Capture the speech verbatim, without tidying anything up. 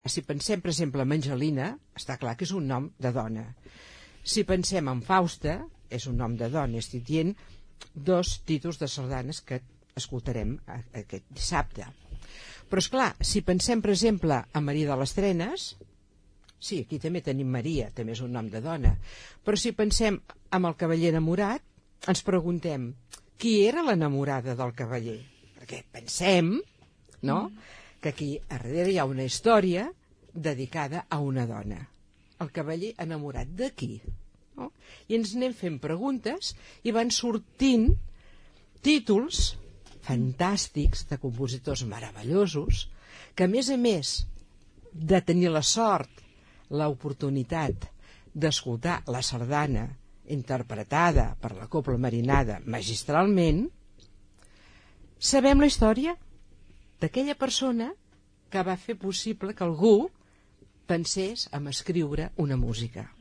Si pensem, per exemple, en Angelina, està clar que és un nom de dona. Si pensem en Fausta, és un nom de dona. Estic dient dos títols de sardanes que escoltarem aquest dissabte. Però, és clar, si pensem, per exemple, en Maria de les Trenes, sí, aquí també tenim Maria, també és un nom de dona, però si pensem en el cavaller enamorat, ens preguntem qui era l'enamorada del cavaller? Perquè pensem, no?, que aquí a darrere hi ha una història dedicada a una dona. El cavaller enamorat de qui? No? I ens anem fent preguntes i van sortint títols fantàstics de compositors meravellosos que, a més a més de tenir la sort, l'oportunitat d'escoltar la sardana interpretada per la Cobla Marinada magistralment, sabem la història d'aquella persona que va fer possible que algú pensés en escriure una música.